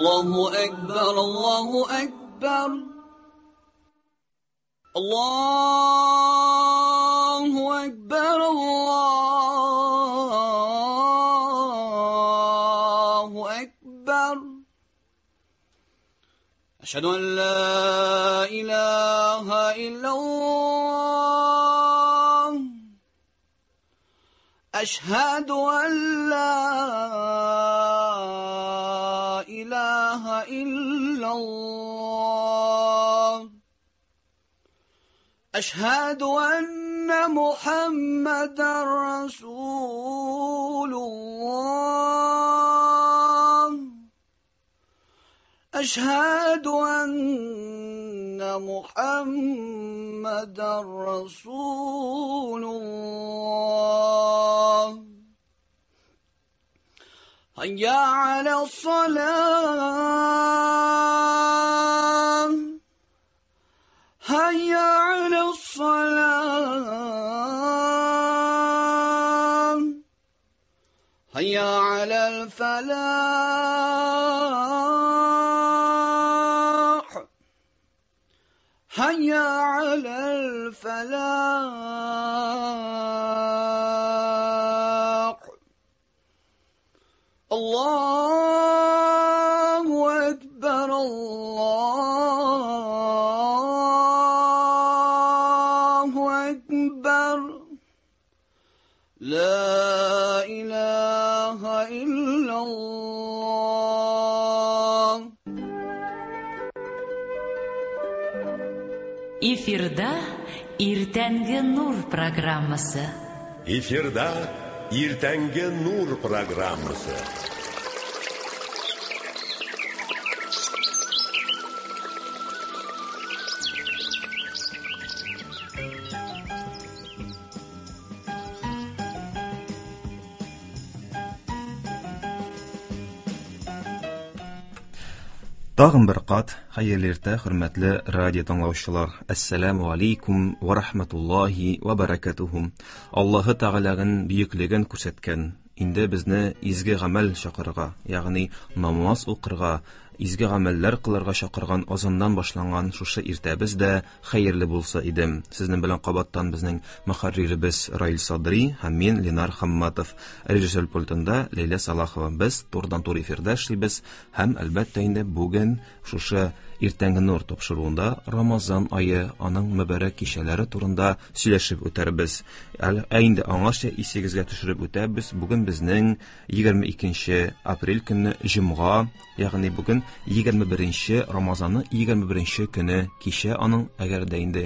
الله أكبر الله أكبر الله أكبر الله أكبر أشهد أن لا إله إلا الله أشهد أن لا إله إلا الله أشهد أن محمدا رسول الله أشهد أن محمدا رسول الله هيا على الصلاة هيا على الصلاة هيا على الفلاح هيا على الفلاح الله أكبر الله أكبر لا إله إلا الله. Эфирда Иртәнге Нур программасы. Эфирда Иртәнге Нур программасы. Тагын бер кат хәерле иртә, хөрмәтле радио тыңлаучылар. Әссәламу алейкум ва рахматуллахи ва баракатуху. Аллаһы Тәгаләнең бөеклеген күрсәткән, инде безне изге гамәл чакырырга, ягъни намаз укырга, изге гамәлләр кылырга чакырган азаннан башланган шушы иртәбез дә хәерле булса иде. Сезнең белән кабаттан безнең мөхәрриребез Раил Садри һәм мин Ленар Хамматов. Режиссер пультында Ләйлә Салахова. Без турыдан-туры эфирда эшлибез һәм әлбәттә инде бүген шушы Иртәнге Нур тапшыруында Рамазан ае, аның мөбарәк кичәләре турында сөйләшеп үтәрбез. Ә инде аңарча исегезгә төшереп үтәбез. Бүген безнең 22 апрель көнне җомга, ягъни бүген 21 Рамазанның 21 көне кичә аның, әгәр дә инде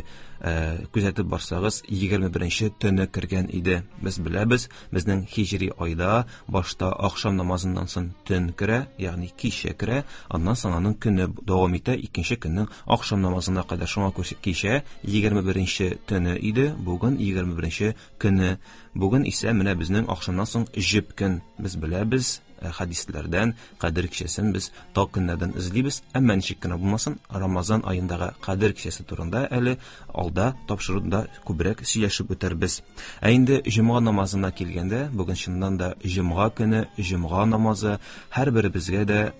күзәтеп барсагыз, 21 төне кергән иде. Без беләбез, безнең хиҗри айда башта ахшам намазыннан соң төн керә, ягъни кичә керә, аннан соң аның көне дәвам итә, икенче көннең ахшам намазына кадәр. Шуңа күрә кичә 21 төне иде, бүген 21 көне. Бүген исә менә безнең ахшамнан соң җеп көн. Без беләбез, хәдисләрдән Кадер кичәсен без тау көннәрдән эзлибез, әмма ничек кенә булмасын, Рамазан аендагы Кадер кичәсе турында әле алда тапшыруда күбрәк сөйләшеп үтәрбез. Ә инде җомга намазына килгәндә, бүген чыннан да җомга көне, җомга намазы һәрберебезгә дә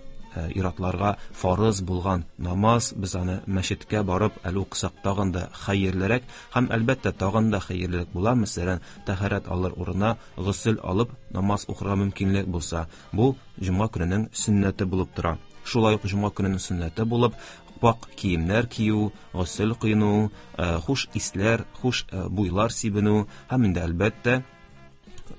иратларга фарыз булган намаз, без аны мәчеткә барып әле укысак тагын да хәерлерәк һәм әлбәттә тагын да хәерлерәк була, мәсәлән, тәһарәт алыр урынына госел алып намаз укырга мөмкинлек булса, бу җомга көненең сөннәте булып тора. Шулай ук җомга көненең сөннәте булып пак киемнәр кию, госел коену, хуш исләр, хуш буйлар сибенү һәм инде әлбәттә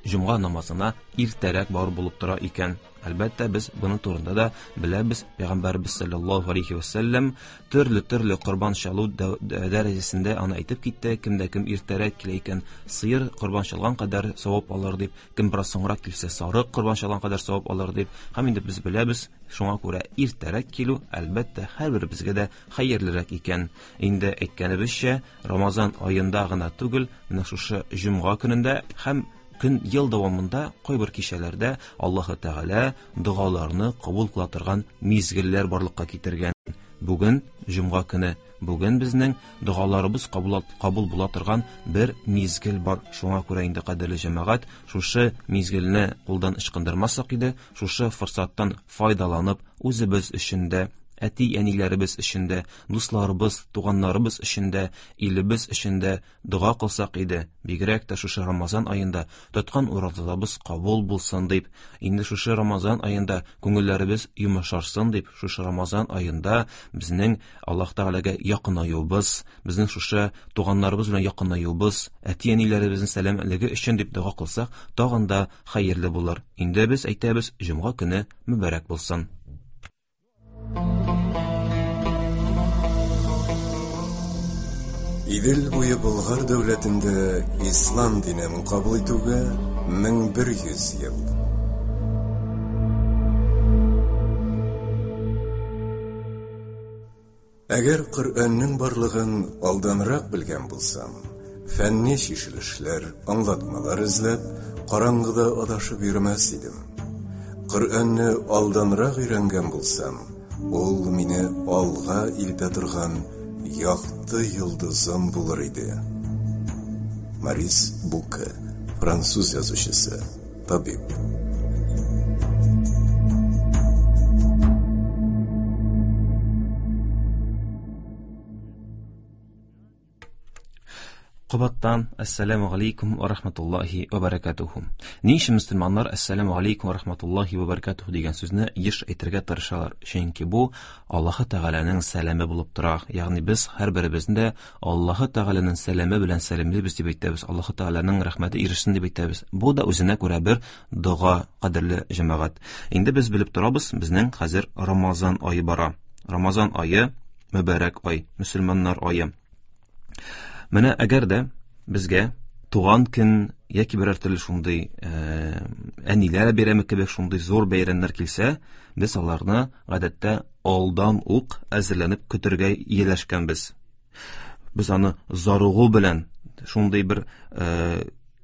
җомга намазына иртәрәк бару булып тора икән. Әлбәттә, без буның турында да беләбез. Пәйгамбәрбез саллаллаһу алейхи ва саллям төрле-төрле корбан чалу дәрәҗәсендә аны әйтеп китте. Кемдә кем иртәрәк килә икән, сыер корбан чалган кадәр савап алыр дип, кем бераз соңрак килсә, сарык корбан чалган кадәр савап алыр дип. Һәм инде без беләбез, шуңа күрә иртәрәк килү әлбәттә һәрберебезгә дә хәерлерәк икән. Инде әйткәнебезчә, Рамазан аенда гына түгел, менә шушы җомга көнендә һәм көн ел дәвамында кайбер кичәләрдә Аллаһы Тәгалә догаларны кабул кыла торган мизгелләр барлыкка китергән. Бүген җомга көне. Бүген безнең догаларыбыз кабул, кабул була торган бер мизгел бар. Шуңа күрә инде, кадерле җәмәгать, шушы мизгелне кулдан ычкындырмасак иде, шушы форсаттан файдаланып, үзебез өчен дә, әти-әниләребез өчен дә, дусларыбыз, туганнарыбыз өчен дә, илебез өчен дә дога кылсак иде. Бигрәк тә шушы Рамазан аенда тоткан уразабыз кабул булсын дип, инде шушы Рамазан аенда күңелләребез йомшарсын дип, шушы Рамазан аенда безнең Аллаһ Тәгаләгә якынаюыбыз, безнең шушы туганнарыбыз белән якынаюыбыз, әти-әниләребезнең сәламәтлеге өчен дип дога кылсак, тагын да хәерле булыр. Инде без әйтәбез, җомга көне мөбарәк булсын. Идел буе Болгар дәүләтендә ислам динен кабул итүгә 1100 ел. Әгәр Коръәннең барлыгын алданрак белгән булсам, фәнни чишелешләр, аңлатмалар эзләп, караңгыда адашып йөрмәс идем. Коръәнне алданрак өйрәнгән булсам, ул мине алга илтә торган якты йолдызым булыр иде. Морис Буке, француз язучысы, табиб. Кабаттан ассаламу алейкум ва рахматуллахи ва баракатуху. Ни өчен мөселманнар ассаламу алейкум ва рахматуллахи ва баракатуху дигән сүзне еш әйтергә тырышалар? Чөнки бу Аллаһы Тәгаләнең сәламе булып тора. Ягъни без һәрберебезне дә Аллаһы Тәгаләнең сәламе белән сәламлибез дип әйтәбез. Аллаһы Тәгаләнең рәхмәте ирешсен дип әйтәбез. Бу да үзенә күрә бер дога, кадерле җәмәгать. Инде без белеп торабыз, безнең хәзер Рамазан ае бара. Рамазан ае мөбарәк ай, мөселманнар ае. Менә әгәр дә безгә туган көн яки берәр төрле шундый әниләр бәйрәме кебек шундый зур бәйрәмнәр килсә, без аларны гадәттә алдан ук әзерләнеп көтергә ияләшкәнбез. Без аны зарыгу белән шундый бер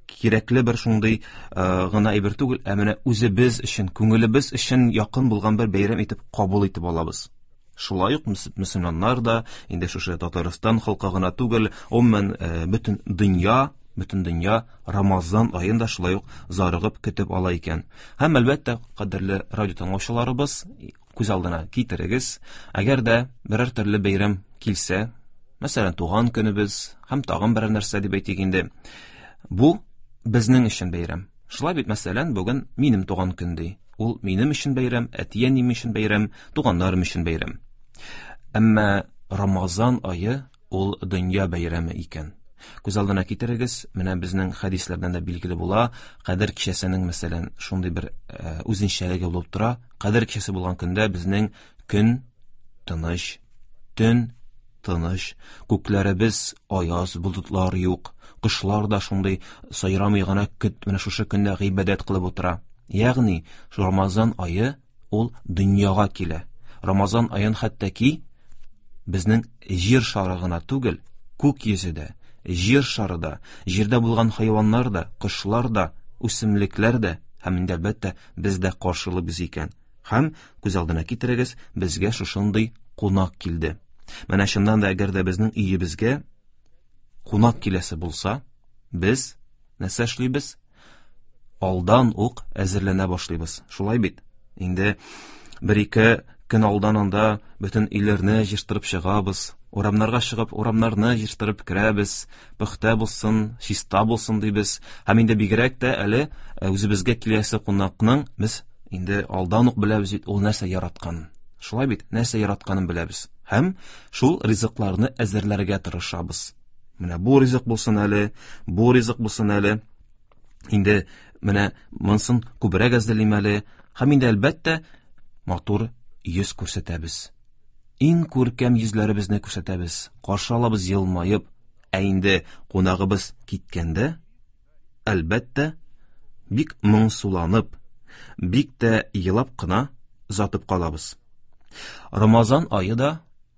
кирәкле бер шундый гына әйбер түгел, ә менә үзебез өчен, күңелебез өчен якын булган бер бәйрәм итеп кабул итеп алабыз. Шулай ук мөселманнар да, инде шушы Татарстан халкы гына түгел, гомумән бөтен дөнья, бөтен дөнья Рамазан аен да шулай ук зарыгып көтеп ала икән. Һәм әлбәттә, кадерле радио тыңлаучыларыбыз, күз алдына китерегез, әгәр дә берәр төрле бәйрәм килсә, мәсәлән, туган көнебез һәм тагын берәр нәрсә дип әйтик инде, бу безнең өчен бәйрәм. Шулай бит, мәсәлән, бүген минем туган көн ди. Ул минем өчен бәйрәм, әти-әнием өчен бәйрәм, туганнарым өчен бәйрәм. Әмма Рамазан ае ул дөнья бәйрәме икән. Күз алдына китерегез, менә безнең хәдисләрдән дә билгеле була, Кадер кичәсенең, мәсәлән, шундый бер үзенчәлеге булып тора. Кадер кичәсе булган көндә безнең көн тыныч, төн тыныч, күкләребез аяз, болытлар юк, кошлар да шундый сайрамый гына көт, менә шушы көндә гыйбадәт кылып утыра. Ягъни, Рамазан ае ул дөньяга килә. Рамазан аен хәтта ки безнең җир шары гына түгел, күк йөзе дә, җир шары да, җирдә булган хайваннар да, кошлар да, үсемлекләр дә һәм инде әлбәттә без дә каршылыйбыз икән. Һәм күз алдына китерегез, безгә шушындый кунак килде. Менә чыннан да әгәр дә безнең өебезгә кунак киләсе булса, без нәрсә эшлибез? Алдан ук әзерләнә башлыйбыз. Шулай бит? Инде бер-ике көн алдан анда бөтен өйләрне җыештырып чыгабыз, урамнарга чыгып, урамнарны җыештырып керәбез, пөхтә булсын, чиста булсын дибез. Һәм инде бигрәк тә әле үзебезгә киләсе кунакның без инде алдан ук беләбез бит ул нәрсә яратканын. Шулай бит, нәрсә яратканын беләбез. Һәм шул ризыкларны әзерләргә тырышабыз. Менә бу ризык булсын әле, бу ризык булсын әле. Инде менә монысын күбрәк әзерлим әле. Һәм инде әлбәттә матур йөз күрсәтәбез. Иң күркәм йөзләребезне күрсәтәбез. Каршы алабыз елмаеп. Ә инде кунагыбыз киткәндә, әлбәттә, бик моңсуланып, бик тә елап кына озатып калабыз. Рамазан ае да,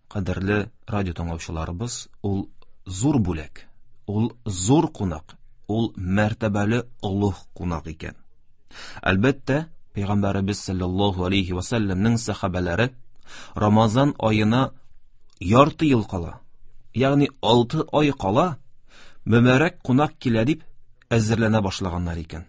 кадерле радио тыңлаучыларыбыз, ул зур бүләк, ул зур кунак, ул мәртәбәле олуг кунак икән. Әлбәттә, Пәйгамбәребез саллаллаһу алейхи ва сәлләмнең сәхабәләре Рамазан аена ярты ел кала, ягъни 6 ай кала, мөбарәк кунак килә дип әзерләнә башлаганнар икән.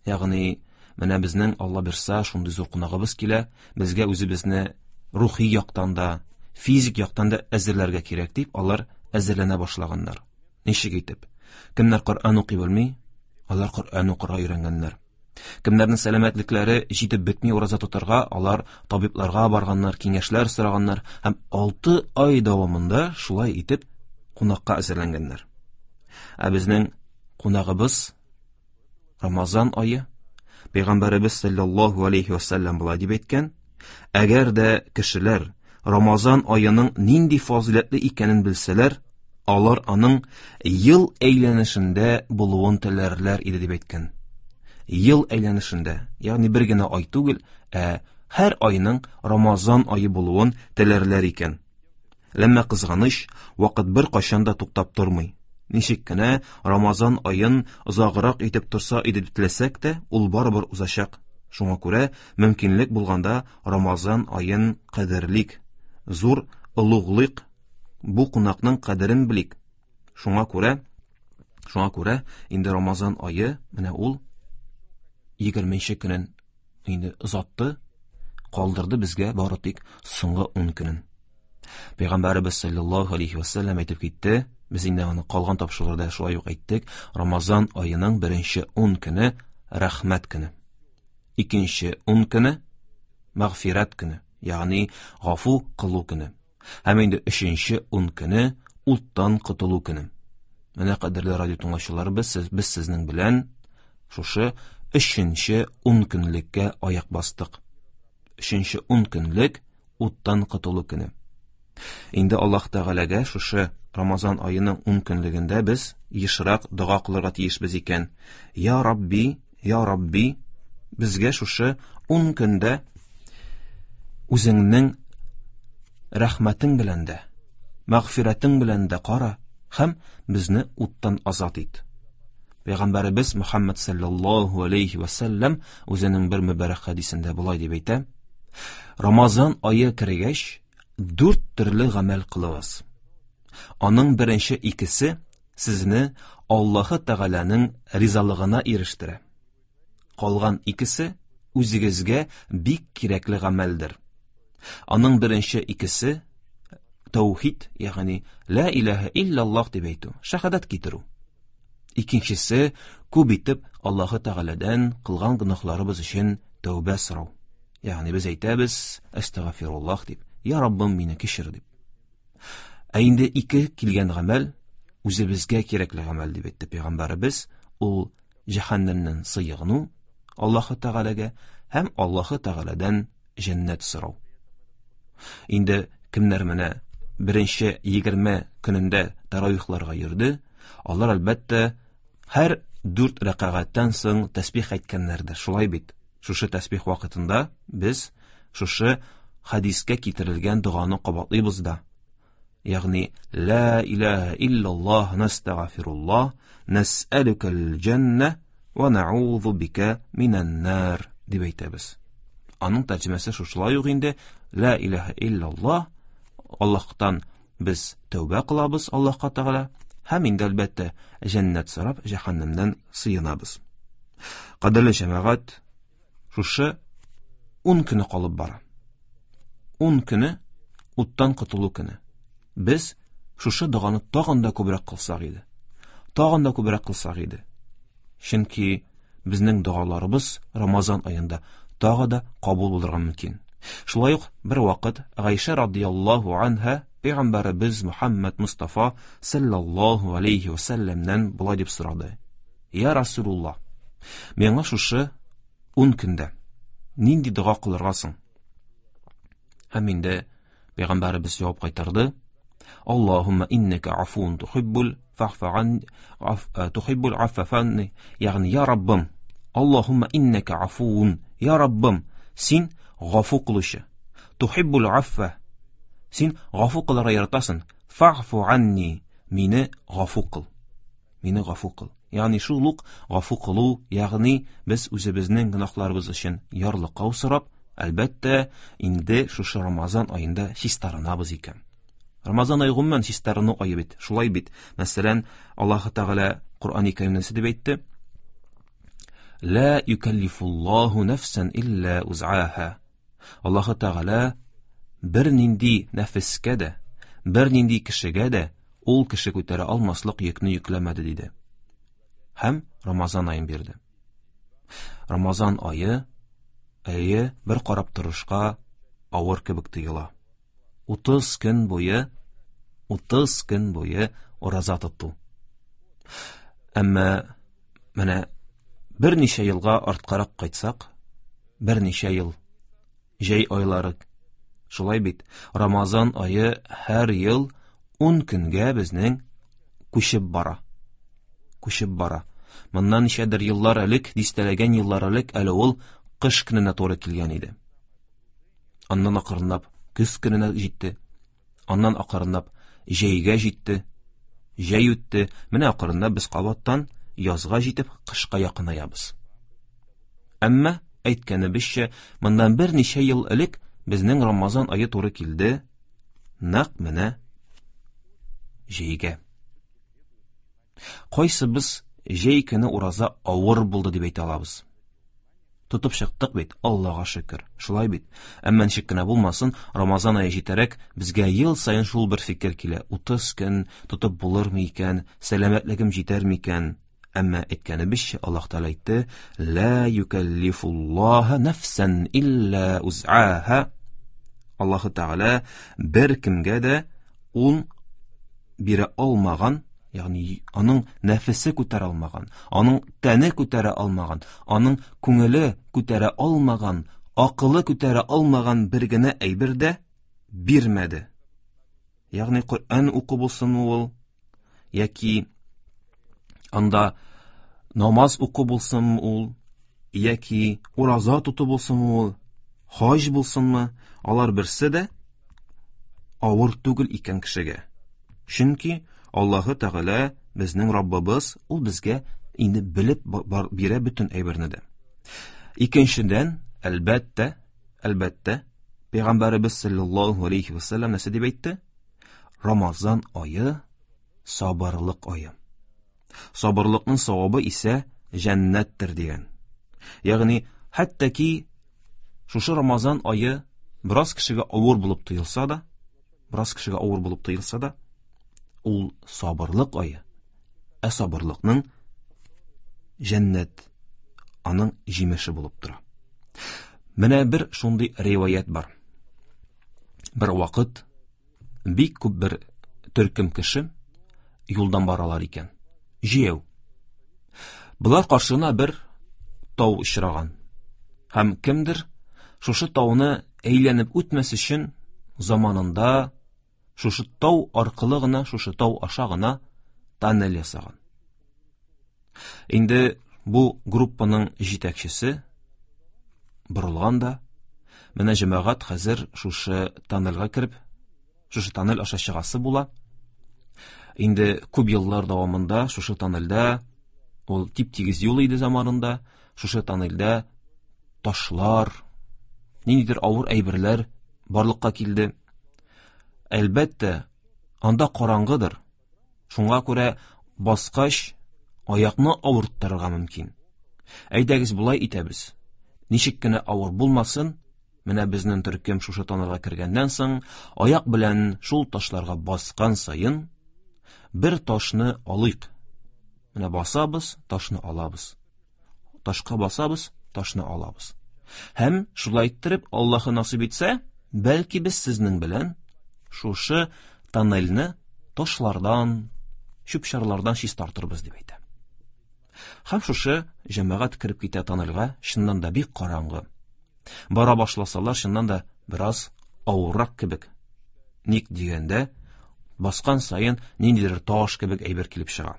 Ягъни менә безнең Алла бирса шундый зур кунагыбыз килә, безгә үзебезне рухи яктан да, физик яктан да әзерләргә кирәк дип алар әзерләнә башлаганнар. Ничек итеп? Кемнәр Коръән укый белми, алар Коръән укырга өйрәнгәннәр. Кемнәрнең сәламәтлекләре җитеп бетми ураза тотарга, алар табибларга барганнар, киңәшләр сораганнар һәм 6 ай дәвамында шулай итеп кунакка әзерләнгәннәр. Ә безнең кунагыбыз Рамазан ае. Пәйгамбәребез саллаллаһу алейхи вәсәлләм болай дип әйткән: Әгәр дә кешеләр Рамазан аеның нинди фазыйләтле икәнен белсәләр, алар аның ел әйләнешендә булуын теләрләр иде дип әйткән. Ел әйләнешендә, ягъни бер генә ай түгел, ә һәр айның Рамазан ае булуын теләрләр икән. Ләмма кызганыч, вакыт бер кайчан да туктап тормый. Ничек кенә Рамазан аен озаграк итеп торса иде дип теләсәк тә, ул барыбер узачак. Шуңа күрә мөмкинлек булганда Рамазан аен кадерлик, зур олуглыйк, бу кунакның кадерен белик. Шуңа күрә, шуңа күрә инде Рамазан ае менә ул 20 көнен инде озатты, калдырды безгә бары тик соңгы 10 көнен. Пәйгамбәребез саллаллаһу алейхи ва саллям әйтеп китте, без инде аны калган тапшыруда шулай ук әйттек, Рамазан аеның беренче 10 көне рәхмәт көне. Икенче 10 көне мәгъфирәт көне, ягъни гафу кылу көне. Һәм инде өченче 10 көне уттан котылу көне. Менә кадерле радио тыңлаучыларыбыз, сез, без сезнең белән шушы өченче 10 көнлеккә аяк бастык. Өченче 10 көнлек уттан котылу көне. Инде Аллаһ Тәгаләгә шушы Рамазан аеның 10 көнлегендә без ешрак дога кылырга тиешбез икән. Я Рабби, я Рабби, безгә шушы 10 көндә үзеңнең рәхмәтең белән дә, мәгъфирәтең белән дә кара һәм безне уттан азат ит. Пәйгамбәребез Мөхәммәд саллаллаһу алейхи ва саллям үзенең бер мөбарәк хәдисендә болай дип әйтә: Рамазан ае кергәч, дүрт төрле гамәл кылыгыз. Аның беренче икесе сезне Аллаһы Тәгаләнең ризалыгына ирештерә. Калган икесе үзегезгә бик кирәкле гамәлдер. Аның беренче икесе таухид, ягъни ла илаһа иллаллаһ дип әйтү, шәһадәт китерү. Икенчесе күп итеп Аллаһы Тәгаләдән кылган гөнаһларыбыз өчен тәүбә сорау. Ягъни без әйтәбез әстәгъфируллаһ дип, я Раббым, мине кичер дип. Ә инде ике килгән гамәл үзебезгә кирәкле гамәл дип әйтте пәйгамбәребез, ул җәһәннәмнән сыегыну Аллаһы Тәгаләгә һәм Аллаһы Тәгаләдән җәннәт сорау. Инде кемнәр менә беренче 20 көнендә таравихларга йөрде, алар әлбәттә һәр дүрт рәкәгатьтән соң тәсбих әйткәннәрдер. Шулай бит. Шушы тәсбих вакытында без шушы хәдискә китерелгән доганы кабатлыйбыз да. Ягъни ла илаһа иллаллаһ настагфируллаһ нас'алукал җанна ва нa'узу бика минән нар дип әйтәбез. Аның тәрҗемәсе шушылай ук инде ла илаһа иллаллаһ, Аллаһтан без тәүбә кылабыз Аллаһка Тәгалә һәм инде әлбәттә җәннәт сорап җәһәннәмнән сыенабыз. Кадерле җәмәгать, шушы 10 көне калып бара. 10 көне уттан котылу көне. Без шушы доганы тагын да күбрәк кылсак иде. Тагын да күбрәк кылсак иде. Чөнки безнең догаларыбыз Рамазан аенда тагы да кабул булырга мөмкин. Шулай ук бер вакыт Гайшә радияллаһу анһа пәйгамбәребез Мухаммад Мустафа саллаллаһу алейхи ва сәлләмнән болай дип сорады: Я Расулуллаһ, миңа шушы 10 көндә нинди дога кылырга соң? Һәм инде пәйгамбәребез җавап кайтарды: Аллаһумма иннәкә афуун тухиббул фа'фу тухиббул афва фанни, ягъни я Раббым, Аллаһумма иннәкә афуун, я Раббым, син гафу кылучы, тухиббул афва, син гафу кылырга яратасың, фа'фу анни, мине гафу кыл. Мине гафу кыл. Ягъни шул ук гафу кылу, ягъни без үзебезнең гөнаһларыбыз өчен ярлыкау сорап, Әлбәттә, инде шушы Рамазан аенда чистарынабыз икән. Рамазан ае гомумән чистарыну ае бит. Шулай бит. Мәсәлән, Аллаһ Тәгалә Коръәни Кәримдә нәрсә дип әйтте? Ла юкаллифуллаһу нәфсән илля узаха. Аллаһ Тәгалә бернинди нәфескә дә, бернинди кешегә дә ул кеше күтәрә алмаслык йөкне йөкләмәде диде. Һәм Рамазан аен бирде. Рамазан ае, әйе, бер карап торышка авыр кебек тоела. 30 көн буе, 30 көн буе ураза тоту. Әмма менә берничә елга арткарак кайтсак, берничә ел җәй айлары шулай бит, Рамазан ае һәр ел 10 көнгә безнең күчеп бара. Күчеп бара. Моннан ничәдер еллар элек, дистәләгән еллар элек әле ул кыш көненә туры килгән иде. Аннан акрынлап көз көненә җитте. Аннан акрынлап җәйгә җитте. Җәй үтте. Менә акрынлап без кабаттан язга җитеп, кышка якынаябыз. Әмма, әйткәнебезчә, моннан берничә ел элек безнең Рамазан ае туры килде нәкъ менә җәйгә. Кайсыбыз җәй көне ураза авыр булды дип әйтә алабыз? Тотып чыктык бит, Аллага шөкер. Шулай бит. Әмма ничек кенә булмасын, Рамазан ае җитәрәк безгә ел саен шул бер фикер килә. 30 көн тотып булырмы икән, сәламәтлегем җитәрме икән? Әмма әйткәнебезчә, Аллаһ Тәгалә әйтте: "Ла юкаллифуллаһа нафсан илля узаха". Аллаһ Тәгалә бер кемгә дә ун бирә алмаган, ягъни аның нәфесе күтәрә алмаган, аның тәне күтәрә алмаган, аның күңеле күтәрә алмаган, акылы күтәрә алмаган бер генә әйбер дә бирмәде. Ягъни Коръән уку булсын ул, яки анда намаз уку булсынмы ул, яки ураза тоту булсынмы ул, хаҗ булсынмы, алар берсе дә авыр түгел икән кешегә. Чөнки Аллаһы Тәгалә безнең Раббыбыз, ул безгә инде белеп бирә бөтен әйберне дә. Икенчедән, әлбәттә, әлбәттә, Пәйгамбәребез саллаллаһу алейхи ва саллям нәрсә дип әйтте? Рамазан ае сабырлык ае. Сабырлыкның савабы исә җәннәттер дигән. Ягъни, хәтта ки шушы Рамазан ае бераз кешегә авыр булып тоелса да, бераз кешегә авыр булып тоелса да, ул сабырлык ае. Ә сабырлыкның җәннәт аның җимеше булып тора. Менә бер шундый риваять бар. Бер вакыт бик күп бер төркем кеше юлдан баралар икән. Җәяү. Болар каршына бер тау очраган. Һәм кемдер шушы тауны әйләнеп үтмәс өчен заманында шушы тау аркылы гына, шушы тау аша гына тоннель ясаган. Инде бу группаның җитәкчесе борылган да, менә җәмәгать хәзер шушы тоннельгә кереп, шушы тоннель аша чыгасы була. Инде күп еллар дәвамында шушы тоннельдә, ул тип-тигез юл иде заманында, шушы тоннельдә ташлар, ниндидер авыр әйберләр барлыкка килде. Әлбәттә, анда караңгыдыр. Шуңа күрә баскач, аякны авырттырырга мөмкин. Әйдәгез болай итәбез. Ничек кенә авыр булмасын, менә безнең төркем шушы тоннельгә кергәннән соң, аяк белән шул ташларга баскан саен, бер ташны алыйк. Менә басабыз, ташны алабыз. Ташка басабыз, ташны алабыз. Һәм шулай иттереп, Аллаһы насыйп итсә, бәлки без сезнең белән шушы тоннельне ташлардан, чүп-чарлардан чистартырбыз дип әйтә. Һәм шушы җәмәгать кереп китә тоннельгә, чыннан да бик караңгы. Бара башласалар, чыннан да бераз авыррак кебек. Ник дигәндә, баскан саен ниндидер таш кебек әйбер килеп чыга.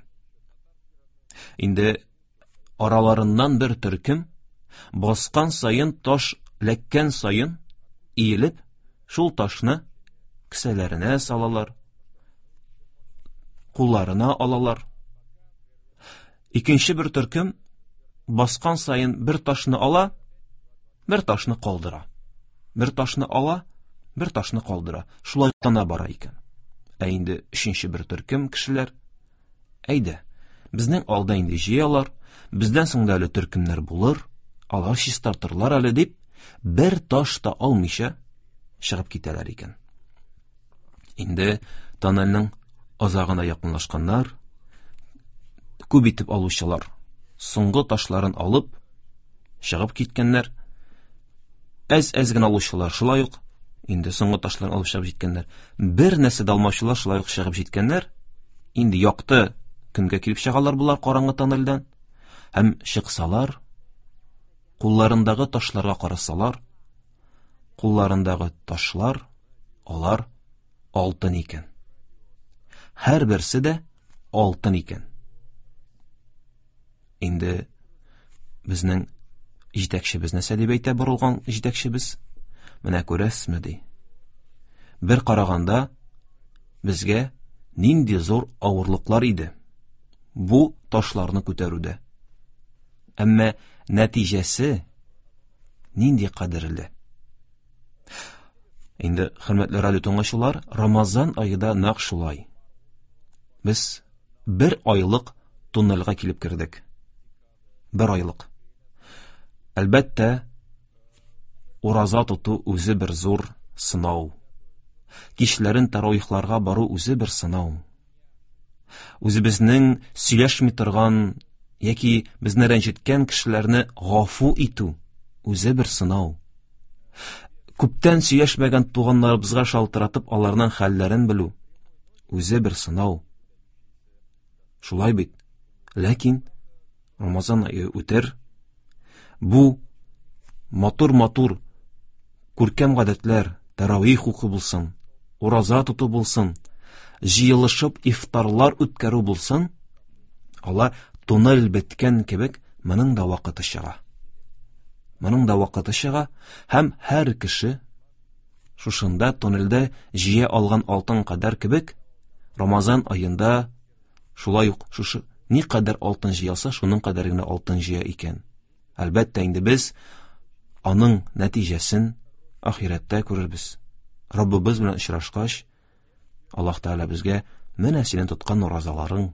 Инде араларыннан бер төркем баскан саен таш ләккән саен иелеп, шул ташны кесәләренә салалар, кулларына алалар. Икенче бер төркем баскан саен бер ташны ала, бер ташны калдыра. Бер ташны ала, бер ташны калдыра. Шулай тана бара икән. Ә инде өченче бер төркем кешеләр, әйдә, безнең алда инде җыялар, бездән соң да әле төркемнәр булыр, алар чистартырлар әле дип, бер таш та алмыйча чыгып китәләр икән. Инде тоннельнең азагына якынлашканнар, күп итеп алучылар соңгы ташларын алып чыгып киткәннәр. Әз-әз генә алучылар шулай ук инде соңгы ташларын алып чыгып җиткәннәр. Бер нәрсә дә алмаучылар шулай ук чыгып җиткәннәр. Инде якты көнгә килеп чыгалар болар караңгы тоннельдән. Һәм чыксалар, кулларындагы ташларга карасалар, кулларындагы ташлар алар алтын икән. Һәрберсе дә алтын икән. Инде безнең җитәкчебез нәрсә дип әйтә борылган җитәкчебез? Менә күрәсезме ди. Бер караганда безгә нинди зур авырлыклар иде бу ташларны күтәрүдә. Әмма нәтиҗәсе нинди кадерле. Инде, хөрмәтле радио тыңлаучылар, Рамазан ае да нәкъ шулай. Без бер айлык туннельгә килеп кердек. Бер айлык. Әлбәттә, ураза тоту үзе бер зур сынау. Кичләрен таравихларга бару үзе бер сынау. Үзебезнең сөйләшми торган яки безне рәнҗеткән кешеләрне гафу итү үзе бер сынау. Күптән сөйләшмәгән туганнарыбызга шалтыратып аларның хәлләрен белү үзе бер сынау. Шулай бит. Ләкин Рамазан ае үтер. Бу матур-матур күркәм гадәтләр, таравих уку булсын, ураза тоту булсын, җыелышып ифтарлар үткәрү булсын, алар туннель беткән кебек, моның да вакыты чыга. Моның да вакыты чыга һәм һәр кеше шушында туннельдә җыя алган алтын кадәр кебек Рамазан аенда шулай ук шушы никадәр алтын җыялса, шуның кадәр генә алтын җыя икән. Әлбәттә, инде без аның нәтиҗәсен ахирәттә күрербез. Раббыбыз белән очрашкач, Аллаһ Тәгалә безгә менә синең тоткан уразаларың,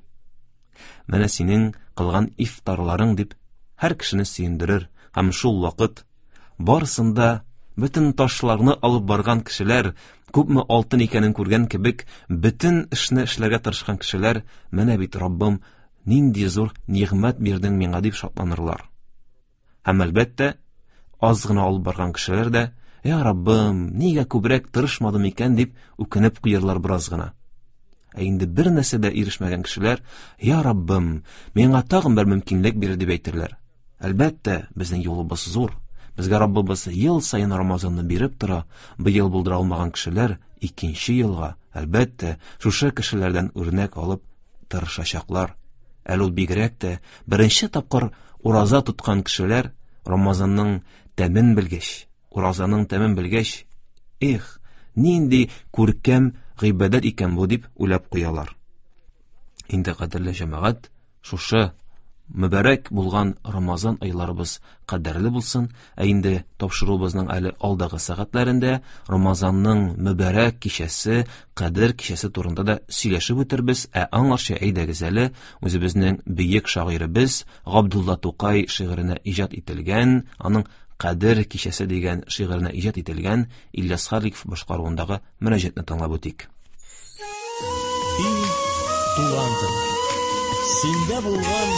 менә синең кылган ифтарларың дип һәр кешене сөендерер һәм шул вакыт барысын да бөтен ташларны алып барган кешеләр, күпме алтын икәнен күргән кебек, бөтен эшне эшләргә тырышкан кешеләр, менә бит Раббым, нинди зур нигъмәт бирдең миңа дип шатланырлар. Һәм әлбәттә, аз гына алып барган кешеләр дә, я Раббым, нигә күбрәк тырышмадым икән дип үкенеп куярлар бераз гына. Ә инде бер нәрсә дә ирешмәгән кешеләр, я Раббым, миңа тагын бер мөмкинлек бир дип әйтерләр. Әлбәттә, безнең юлыбыз зур. Безгә Раббыбыз ел саен Рамазанны биреп тора. Быел булдыра алмаган кешеләр икенче елга, әлбәттә, шушы кешеләрдән үрнәк алып тырышачаклар. Әле ул бигрәк тә беренче тапкыр ураза тоткан кешеләр Рамазанның тәмен белгәч, уразаның тәмен белгәч, эх, нинди күркәм гыйбадәт икән бу дип уйлап куялар. Инде кадерле җәмәгать, шушы мөбарәк булган Рамазан айларыбыз кадерле булсын, ә инде тапшыруыбызның әле алдагы сәгатьләрендә Рамазанның мөбарәк кичәсе, Кадер кичәсе турында да сөйләшеп үтербез, ә аңарчы әйдәгез әле үзебезнең бөек шагыйребез Габдулла Тукай шигыренә иҗат ителгән, аның Кадер кичәсе дигән шигыренә иҗат ителгән Ильяс Халиков башкаруындагы мөрәҗәтне тыңлап үтик. И, туган тел, синдә булган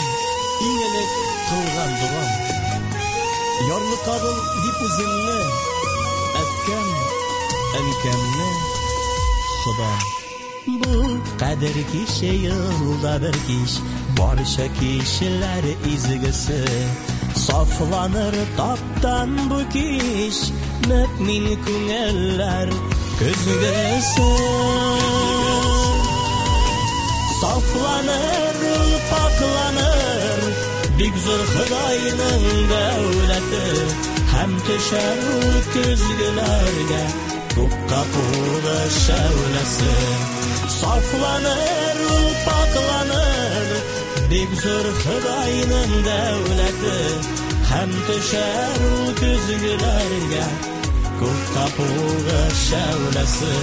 иң элек кылган догам. Ярлыкадың дип үземне, әткәм, әнкәмне, Ходам. Бу кадер киче елда бер кич, барча кичләр изгесе. Сафланыр таптан бу кич, мөэмин күңелләр көзгесе. Сафланыр ул, пакъланыр, бик зур Ходайның дәүләте, һәм төшәр ул көзгеләргә Тупка кулы шәүләсе. Сафланыр ул, пакъланыр, бик зур Ходайның дәүләте, һәм төшәр ул көзгеләргә Күк капугы шәүләсе.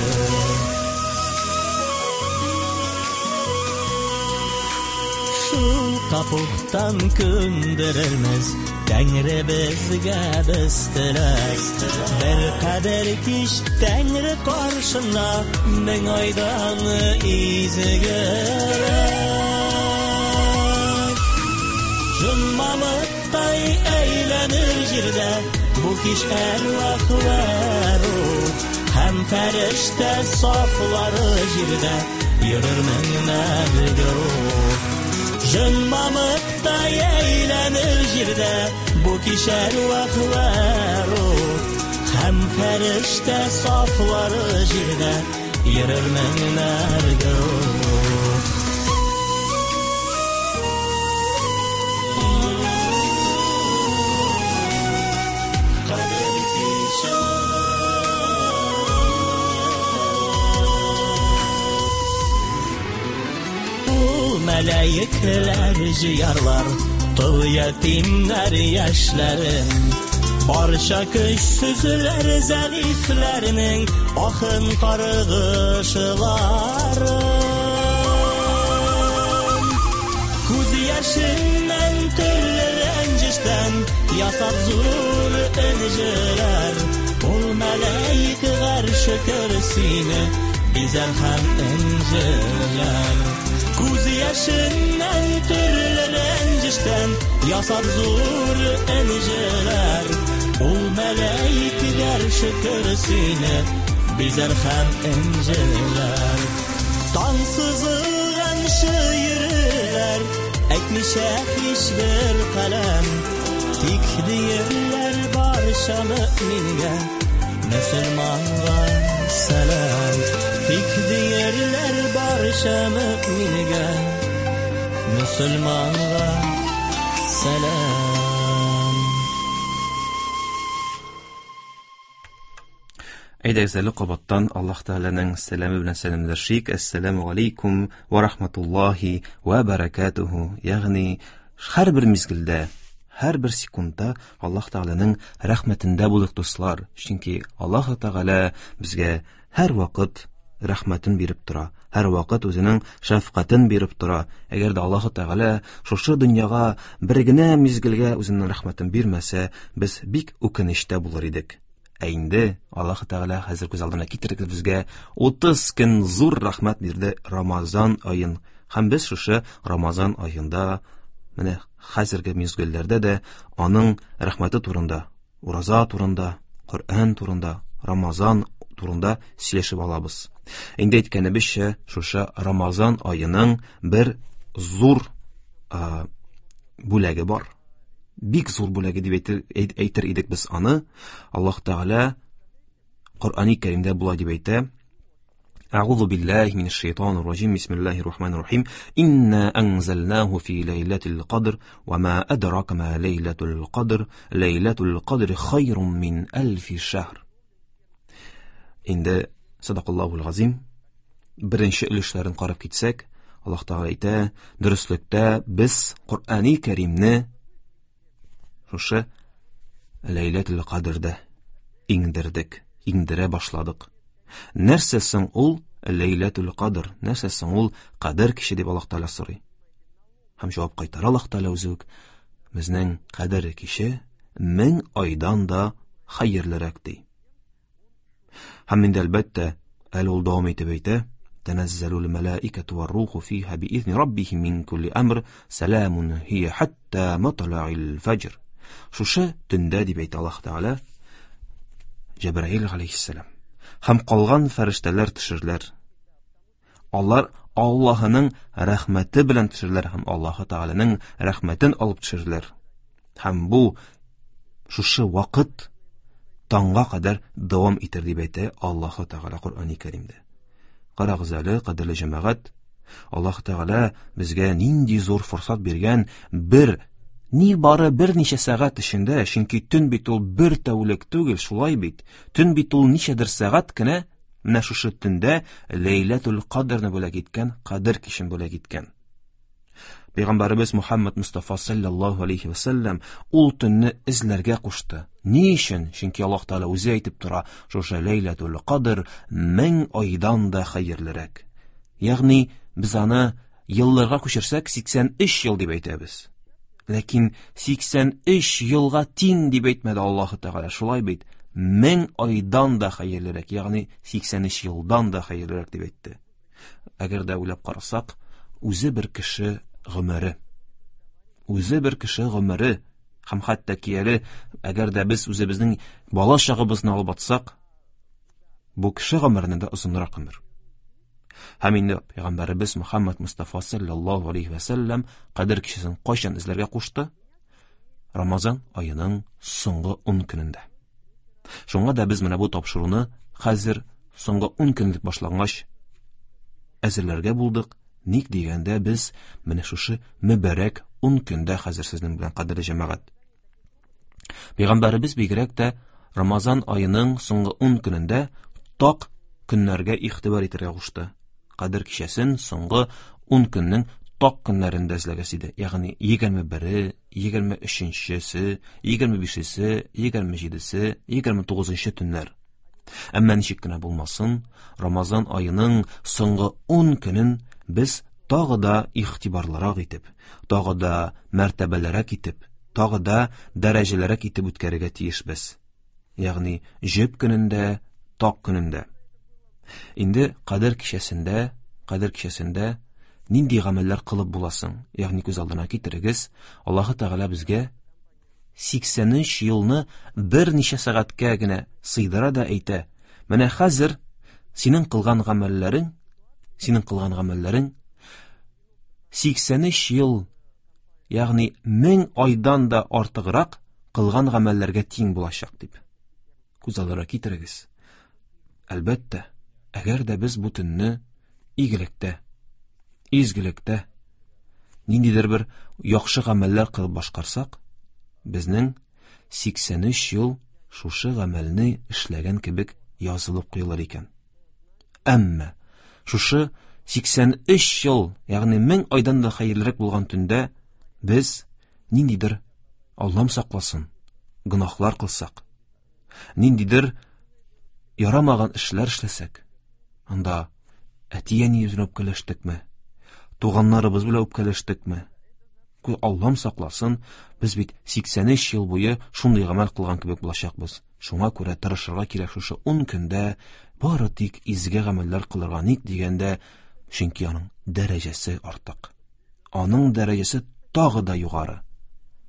Шул капуктан көндерермез Тәңре безгә без теләк. Бер кадер кич Тәңре каршында мең айдан изгерәк. Җон мамыктай әйләнер җирдә бу кич әрвах вә рух, һәм фәрештә сафлары җирдә йөрер меңнәр гөрух. Җон мамыктай әйләнер җирдә бу кич әрвах вә рух, һәм фәрештә сафлары җирдә йөрер меңнәр гөрух. Кадер киче. Ул мәләекләр җыярлар тол ятимнәр яшьләрен, барча көчсезләр зәгыйфьләрнең ахын каргышларын. Күз яшеннән төрле рәнҗештән ясап зур энҗеләр, ул мәләик гарше көрсине бизәр һәм энҗеләр. Күз яшеннән төрле рәнҗештән ясап зур энҗеләр, ул мәләик гарше көрсине бизәр һәм энҗеләр. Таң сызылганчы йөрерләр, әйтмичә һичбер каләм, тик диерләр барча мөэмингә, мөселманга сәлам. Тик диерләр барча мөэмингә, мөселманга сәлам. Әйдәгез әле кабаттан Аллаһ Тәгаләнең сәламе белән сәламләшик. Әссәламу алейкум ва рахматуллаһи ва баракатуху. Ягъни һәрбер мизгелдә, һәрбер секундта Аллаһ Тәгаләнең рәхмәтендә булыйк, дуслар. Чөнки Аллаһ Тәгалә безгә һәр вакыт рәхмәтен биреп тора, һәр вакыт үзенең шәфкатен биреп тора. Әгәр дә Аллаһ Тәгалә шушы дөньяга бер генә мизгелгә үзенең рәхмәтен бирмәсә, без бик үкенечтә булыр идек. Ә инде Аллаһ Тәгалә хәзер күз алдына китерегез безгә 30 көн зур рәхмәт бирде Рамазан аен. Һәм без шушы Рамазан аенда менә хәзерге мизгелләрдә дә аның рәхмәте турында, ураза турында, Коръән турында, Рамазан турында сөйләшеп алабыз. Инде әйткәнебезчә, шушы Рамазан аеның бер зур бүләге бар. Бик зур бүләге дип әйтер идек без аны. Аллаһ Тәгалә Коръәни Кәримдә болай дип әйтә: Әгъузу биллаһи минәш шайтанир раҗим. Бисмиллаһир рахманир рахим. Инна анзалнаху фи ләйләтил кадр ва ма адрака ма ләйләтул кадр. Ләйләтул кадр хайрун мин әлфи шәһр. Инде садакаллаһул газим. Беренче өлешләрен карап китсәк, Аллаһ Тәгалә әйтә, дөреслектә без Коръәни Кәримне шушы Ләйләтул Кадрда иңдердек, иңдерә башладык. Нәрсә соң ул Ләйләтул Кадр? Нәрсә соң ул Кадр киче дип Аллаһ Тәгалә сорый. Һәм җавап кайтара Аллаһ Тәгалә үзе үк: безнең Кадр киче 1000 айдан да хәерлерәк ди. Һәм инде әлбәттә, әле ул дәвам итеп әйтә: Тәнәззәлул мәлаикәту вар-руху фиһа биизни раббихим мин кулли әмр, сәламун һия хатта матла'ил фәҗр. Шушы төндә дип әйтә Аллаһ Тәгалә, Җәбраил алейһиссәлам һәм калган фәрештәләр төшерләр. Алар Аллаһының рәхмәте белән төшерләр һәм Аллаһы Тәгаләнең рәхмәтен алып төшерләр. Һәм бу шушы вакыт таңга кадәр дәвам итер дип әйтә Аллаһы Тәгалә Коръәни Кәримдә. Карагыз әле, кадерле җәмәгать, Аллаһ Тәгалә безгә нинди зур форсат биргән бер ни бары берничә сәгать эчендә, чөнки төн бит ул бер тәүлек түгел, шулай бит. Төн бит ул ничәдер сәгать кенә, менә шушы төндә Ләйләтул Кадрны бүләк иткән, Кадр кичен бүләк иткән. Пәйгамбәребез Мухаммад Мустафа саллаллаһу алейхи ва саллям ул төнне эзләргә кушты. Ни өчен? Чөнки Аллаһ Тәгалә үзе әйтеп тора, шушы Ләйләтул Кадр 1000 айдан да хәерлерәк. Ягъни без аны елларга күчерсәк 83 ел дип әйтәбез. Ләкин 83 елга тиң дип әйтмәде Аллаһ Тәгалә. Шулай бит? 1000 айдан да хәерлерәк, ягъни 83 елдан да хәерлерәк дип әйтте. Әгәр дә уйлап карасак, үзе бер кеше гомере. Үзе бер кеше гомере һәм хәтта ки әле әгәр дә без үзебезнең бала чагыбызны алып атсак, бу кеше гомереннән дә озынрак гомер. Һәм инде пәйгамбәребез Мухаммад Мустафа саллаллаһу алейхи ва саллям Кадер кичәсен кайчан эзләргә кушты? Рамазан аеның соңгы 10 көнендә. Шуңа да без менә бу тапшыруны хәзер соңгы 10 көнлек башлангач әзерләргә булдык. Ник дигәндә без менә шушы мөбарәк 10 көндә хәзер сезнең белән, кадерле җәмәгать. Пәйгамбәребез бигрәк тә Рамазан аеның соңгы 10 көнендә так көннәргә игътибар итәргә кушты. Кадер кичәсен соңгы 10 көннең так көннәрендә эзләгез иде. Ягъни 21-е, 23-се, 25-се, 27-се, 29-нчы төннәр. Әмма ничек кенә булмасын, Рамазан аеның соңгы 10 көнен без тагы да игътибарлырак итеп, тагы да мәртәбәлерәк итеп, тагы да дәрәҗәлерәк итеп үткәрергә тиешбез. Ягъни җөп көнендә, так көнендә. Инде Кадер кичәсендә, Кадер кичәсендә нинди гамәлләр кылып буласың? Ягъни күз алдына китерегез, Аллаһы Тәгалә безгә 83 елны берничә сәгатькә генә сыйдыра да әйтә. Менә хәзер синең кылган гамәлләрең, синең кылган гамәлләрең 83 ел, ягъни 1000 айдан да артыграк кылган гамәлләргә тиң булачак дип. Күз алдына китерегез. Әлбәттә, әгәр дә без бу төнне игелектә, изгелектә, ниндидер бер яхшы гамәлләр кылып башкарсак, безнең 83 ел шушы гамәлне эшләгән кебек язылып куелыр икән. Әмма шушы 83 ел, ягъни 1000 айдан да хәерлерәк булган төндә без ниндидер, Аллам сакласын, гөнаһлар кылсак, ниндидер ярамаган эшләр эшләсәк, анда әти-әниебез белән үпкәләштекме, туганнарыбыз белән үпкәләштекме, Аллам сакласын, без бит 83 ел буе шундый гамәл кылган кебек булачакбыз. Шуңа күрә тырышырга кирәк шушы 10 көндә бары тик изге гамәлләр кылырга. Ник дигәндә, чөнки аның дәрәҗәсе артык. Аның дәрәҗәсе тагы да югары,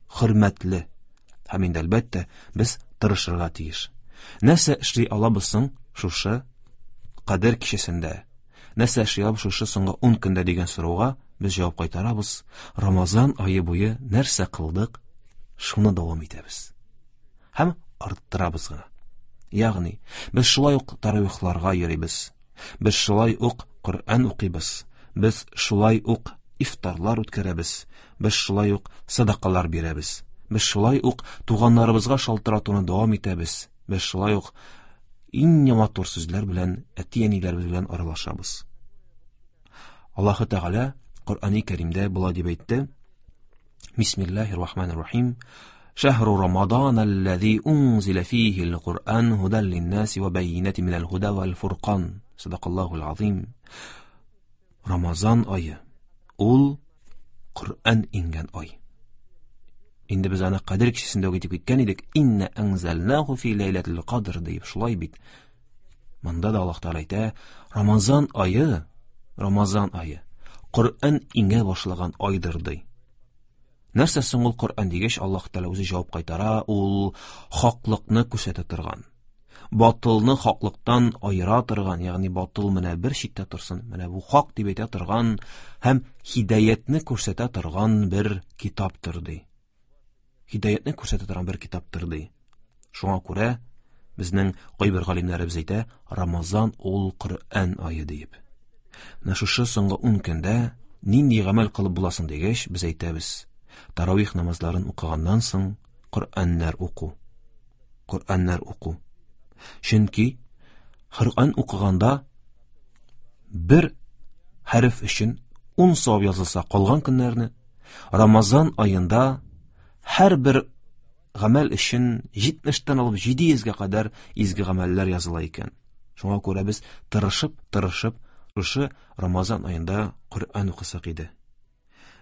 хөрмәтле. Һәм инде әлбәттә, без тырышырга тиеш. Нәрсә эшли алабыз соң шушы Кадер кичәсендә? Нәрсә эшли алабыз шушы соңгы 10 көндә дигән сорауга без җавап кайтарабыз. Рамазан ае буе нәрсә кылдык, шуны дәвам итәбез. Һәм арттырабыз гына. Ягъни, без шулай ук таравихларга йөрибез. Без шулай ук Коръән укыйбыз. Без шулай ук ифтарлар үткәрәбез. Без шулай ук садакалар бирәбез. Без шулай ук туганнарыбызга шалтыратуны дәвам итәбез. Без шулай ук иң матур сүзләр белән әти-әниләребез белән аралашабыз. Аллаһы Тәгалә Коръәни Кәримдә болай дип әйтте: Бисмиллаһир Рахманир Рахим. Шәһру Рамадан аллази унзила фихи ал-Куръан һудан лин-наси ва байинатин минал һуда вал фуркан. Садакаллахул азим. Рамазан ае ул Коръән иңгән ай. Инде без аны Кадер кичәсендә үк әйтеп киткән идек. Инна анзалнаху фи ләйләтил кадр дип, шулай бит. Монда да Аллаһ Тәгалә әйтә, Рамазан ае, Рамазан ае Коръән иңә башлаган айдыр ди. Нәрсә соң ул Коръән дигәч, Аллаһ Тәгалә үзе җавап кайтара, ул хаклыкны күрсәтә торган, батылны хаклыктан аера торган, ягъни батыл менә бер читтә торсын, менә бу хак дип әйтә торган һәм һидаятне күрсәтә торган бер китаптыр ди. Һидаятне күрсәтә торган бер китаптыр ди. Шуңа күрә безнең кайбер галимнәребез әйтә, Рамазан ул Коръән ае диеп. Менә шушы соңгы 10 көндә нинди гамәл кылып буласың дигәч, без әйтәбез, таравих намазларын укыганнан соң Коръәннәр уку. Коръәннәр уку. Чөнки Коръән укыганда бер хәреф өчен 10 савап язылса, калган көннәрне Рамазан аенда һәрбер гамәл өчен 70-тән алып 700-гә кадәр изге гамәлләр языла икән. Шуңа күрә без тырышып, тырышып шушы Рамазан аенда Коръән укысак иде.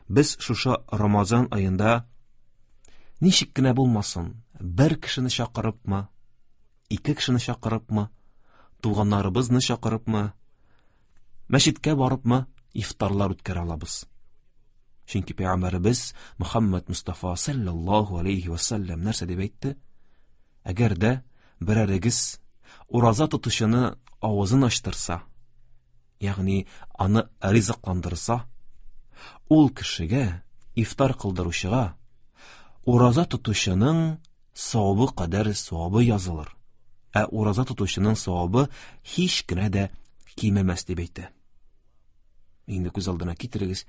Без шушы Рамазан аенда ничек кенә булмасын, бер кешене чакырыпмы, ике кешене чакырыпмы, туганнарыбызны чакырыпмы, мәчеткә барыпмы ифтарлар үткәрә алабыз. Чөнки пәйгамбәребез Мөхәммәд Мустафа саллаллаһу алейхи ва саллям нәрсә дип әйтте? Әгәр дә берәрегез ураза тотучыны авызын ачтырса, ягъни аны ризыкландырса, ул кешегә, ифтар кылдыручыга, ураза тотучының савабы кадәр савабы язылыр. Ә ураза тотучының савабы һич кенә дә кимемәс дип әйтә. Инде күз алдына китерегез,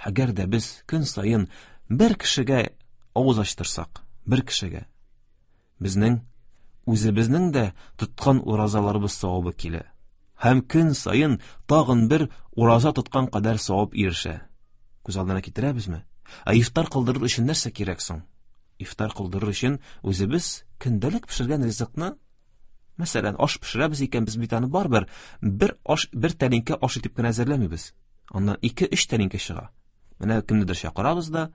әгәр дә без көн саен бер кешегә авыз ачтырсак, бер кешегә, безнең үзебезнең дә тоткан уразаларыбыз савабы килә. Һәм көн саен тагын бер ураза тоткан кадәр савап ирешә. Күз алдына китерәбезме? Ә ифтар кылдырыр өчен нәрсә кирәк соң? Ифтар кылдырыр өчен үзебез көндәлек пешергән ризыкны, мәсәлән, аш пешерәбез икән, без бит аны барыбер бер аш, бер тәлинкә аш итеп кенә әзерләмибез. Аннан 2-3 тәлинкә чыга. Менә кемнедер чакырабыз да,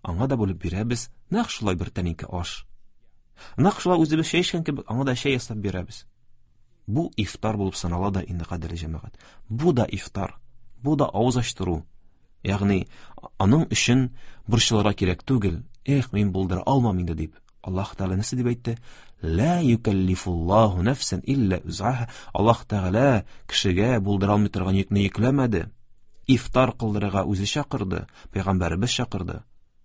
аңа да бүлеп бирәбез, нәкъ шулай бер тәлинкә аш. Нәкъ шулай үзебез чәй эчкән кебек, аңа да чәй ясап бирәбез. Бу ифтар булып санала да инде, кадерле җәмәгать. Бу да ифтар, бу да авыз ачтыру. Ягъни аның өчен борчылырга кирәк түгел. Эх, мин булдыра алмам инде дип. Аллаһ Тәгалә нәрсә дип әйтте? Ла юкаллифуллаһу нафсан илля үзаһа. Аллаһ Тәгалә кешегә булдыра алмый торган йөкне йөкләмәде. Ифтар кылдырырга үзе чакырды, пәйгамбәребез чакырды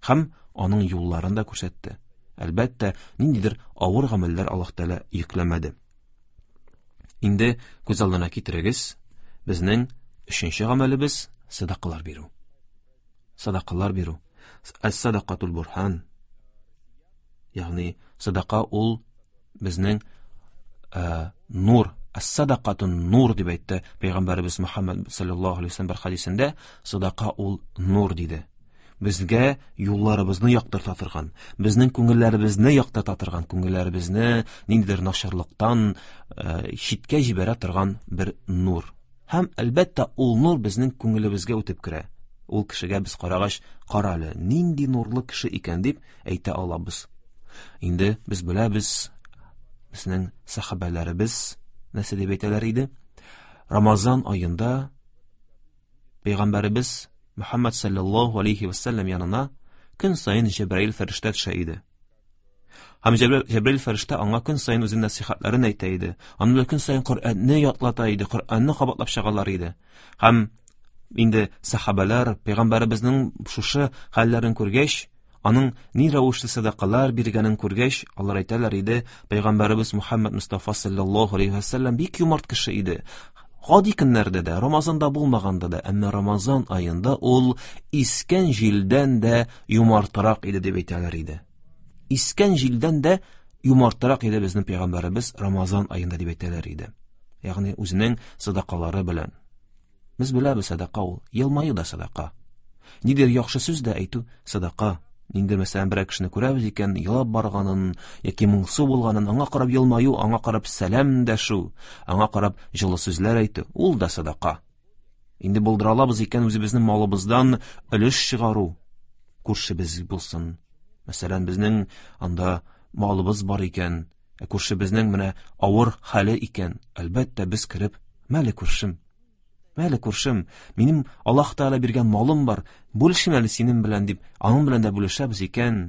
һәм аның юлларын да күрсәтте. Әлбәттә, ниндидер авыр гамәлләр Аллаһ Тәгалә йөкләмәде. Инде күз алдына китерегез, безнең өченче гамәлебез садакалар бирү. Садакалар бирү. Әс-садакатул бурхан. Ягъни садака ул безнең э, нур, әс-садакатун нур дип әйтте пәйгамбәребез Мөхәммәд саллаллаһу алейһи вәсәлләм бер хәдисендә, садака ул нур диде. Безгә юлларыбызны яктырта торган, безнең күңелләребезне яктырта торган, күңелләребезне ниндидер начарлыктан э, читкә җибәрә торган бер нур. Һәм, әлбәттә, ул нур безнең күңелебезгә үтеп керә. Ул кешегә без карагач, кара әле, нинди нурлы кеше икән дип әйтә алабыз. Инде без беләбез, безнең сахабәләребез нәрсә дип әйтәләр иде? Рамазан аенда Пәйгамбәребез Мөхәммәд саллаллаһу алейхи вәсәлләм янына көн саен Җәбраил фәрештә төшә иде. Һәм Җәбраил фәрештә аңа көн саен үзенең нәсихәтләрен әйтә иде. Аның белән көн саен Коръәнне ятлата иде, Коръәнне кабатлап чыгалар иде. Һәм инде сахабәләр пәйгамбәребезнең шушы хәлләрен күргәч, аның ни рәвешле сәдакалар биргәнен күргәч, алар әйтәләр иде, пәйгамбәребез Мухаммад Мустафа саллаллаһу алейхи вәсәлләм бик юмарт кеше иде. Гади көннәрдә дә, Рамазанда булмаганда да, әмма Рамазан аенда ул искән җилдән дә юмартырак иде дип әйтәләр иде. Искән җилдән дә юмартырак иде безнең пәйгамбәребез Рамазан аенда дип әйтәләр иде. Ягъни үзенең садакалары белән. Без беләбез садака ул, елмаю да садака. Нидер яхшы сүз дә әйтү садака. Ниндидер мәсәлән берәр кешене күрәбез икән, елап барганын яки моңсу булганын, аңа карап елмаю, аңа карап сәлам дәшү, аңа карап җылы сүзләр әйтү, ул да садака. Инде булдыра алабыз икән үзебезнең малыбыздан өлеш чыгару, күршебез булсын. Мәсәлән, безнең анда малыбыз бар икән, ә күршебезнең менә авыр хәле икән, әлбәттә, без кереп, мәле күршем, мәле күршем, минем Аллаһ Тәгалә биргән малым бар, бүлешим әле синең белән дип, аның белән дә бүлешәбез икән,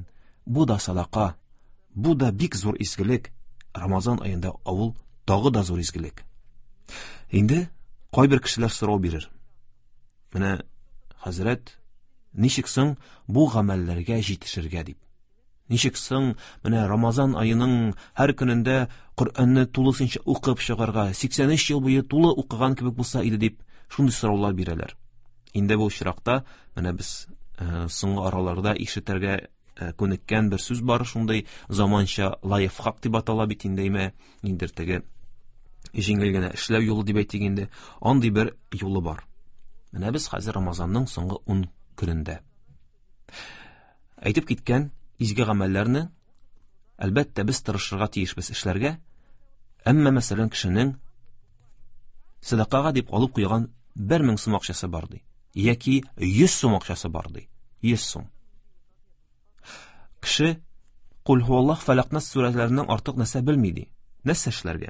бу да садака, бу да бик зур изгелек. Рамазан аенда авыл тагы да зур изгелек. Инде кайбер кешеләр сорау бирер. Менә хәзрәт, ничек соң бу гамәлләргә җитешергә дип. Ничек соң менә Рамазан аеның һәр көнендә Коръәнне тулысынча укып чыгарга, 83 ел буе тулы укыган кебек булса иде дип, шундый сораулар бирәләр. Инде бу очракта менә без э, соңгы араларда ишетергә э, күнеккән бер сүз бар, шундый заманча лайфхак дип атала бит инде, әйме, ниндидер теге җиңел генә эшләү юлы дип әйтик инде, андый бер юлы бар. Менә без хәзер Рамазанның соңгы 10 көнендә. Әйтеп киткән изге гамәлләрне, әлбәттә, без тырышырга тиешбез эшләргә, әмма, мәсәлән, кешенең сәдакага дип алып куйган 1000 сум акчасы бар ди, яки 100 сум акчасы бар ди, 100 сум. Кеше Кул һуаллаһ, Фәләк, Нас сүрәләреннән артык нәрсә белми ди. Нәрсә эшләргә?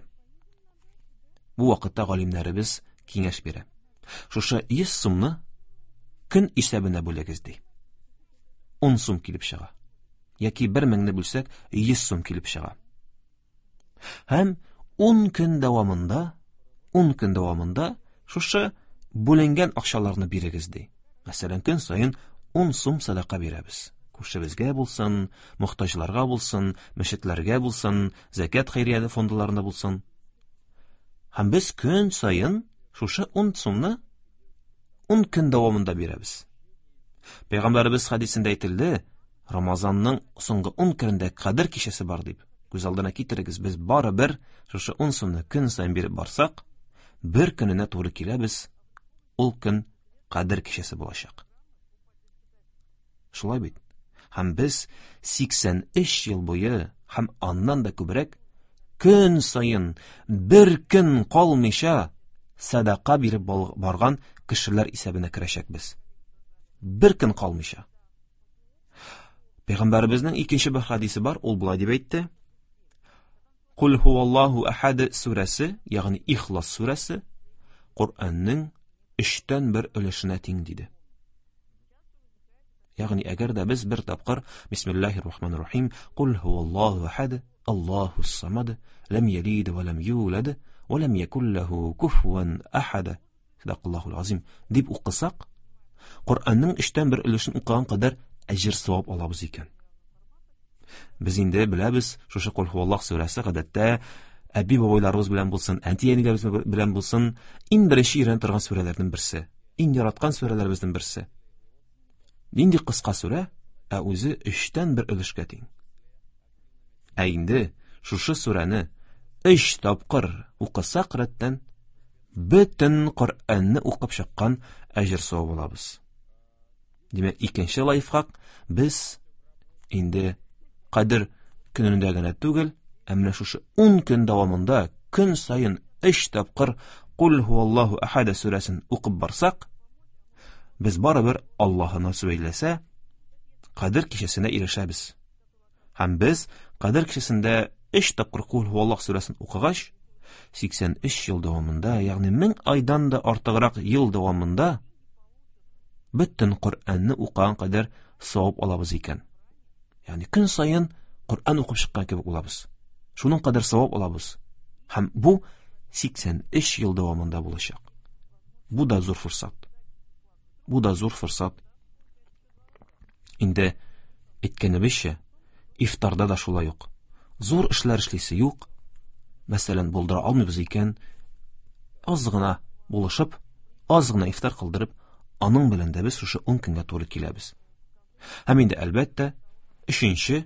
Бу вакытта галимнәребез киңәш бирә. Шушы 100 сумны көн исәбенә бүлегез ди. 10 сум килеп чыга. Яки 1000-не бүлсәк, 100 сум килеп чыга. Һәм 10 көн дәвамында, 10 көн дәвамында шушы бүленгән акчаларны бирегез ди. Мәсәлән, көн саен 10 сум садака бирәбез. Күршебезгә булсын, мохтаҗларга булсын, мәчетләргә булсын, зәкят хәйрия фондларына булсын. Һәм без көн саен шушы 10 сумны 10 көн дәвамында бирәбез. Пәйгамбәребез хәдисендә әйтелде, Рамазанның соңгы 10 көнендә Кадер кичәсе бар дип. Күз алдына китерегез, без барыбер шушы 10 сумны көн саен биреп барсак, бер көненә туры киләбез, ул көн Кадер кичәсе булачак. Шулай бит? Һәм без 83 ел буе һәм аннан да күбрәк көн саен бер көн калмыйча садака биреп барган кешеләр исәбенә керәчәкбез. Бер көн калмыйча. Пәйгамбәребезнең икенче бер хадисе бар, ул болай дип әйтте. Кул һуаллаһу ахад сүрәсе, ягъни Ихлас сүрәсе, Коръәннең өчтән бер өлешенә тиң диде. Ягъни әгәр дә без бер тапкыр Бисмиллаһир Рахманир Рахим, Кул һуаллаһу ахад, Аллаһус самад, лам ялид ва лам юлад, ва лам якул лаху куфуан ахад. Садакаллаһул азим дип укысак, Коръәннең өчтән бер өлешен укыган кадәр әҗер савап алабыз икән. Без инде беләбез, шушы Кул һуаллаһ сүрәсе гадәттә әби бабайларыбыз белән булсын, әти-әниләребез белән булсын, иң беренче өйрәнә торган сүрәләрнең берсе, иң яраткан сүрәләребезнең берсе. Нинди кыска сүрә, ә үзе өчтән бер өлешкә тиң. Ә инде шушы сүрәне өч тапкыр укысак рәттән, бөтен Коръәнне укып чыккан әҗер савап алабыз. Димәк, икенче лайфхак, без инде Кадер көнендә генә түгел, ә менә шушы 10 көн дәвамында көн саен 3 тапкыр Кул һуаллаһу ахад сүрәсен укып барсак, без барыбер Аллаһы насыйп әйләсә, Кадер кичәсенә ирешәбез. Һәм без Кадер кичәсендә 3 тапкыр Кул һуаллаһ сүрәсен укыгач, 83 ел дәвамында, ягъни 1000 айдан да артыграк ел дәвамында бөтен Коръәнне укыган кадәр савап алабыз икән. Ягъни көн саен Коръән укып чыккан кебек булабыз. Шуның кадәр савап алабыз. Һәм бу 83 ел дәвамында булачак. Бу да зур форсат. Бу да зур форсат. Инде әйткәнебезчә, ифтарда да шулай ук. Зур эшләр эшлисе юк. Мәсәлән, булдыра алмыйбыз икән, аз гына булышып, аз гына ифтар кылдырып, аның белән дә без шушы 10 көнгә туры киләбез. Һәм инде әлбәттә, өченче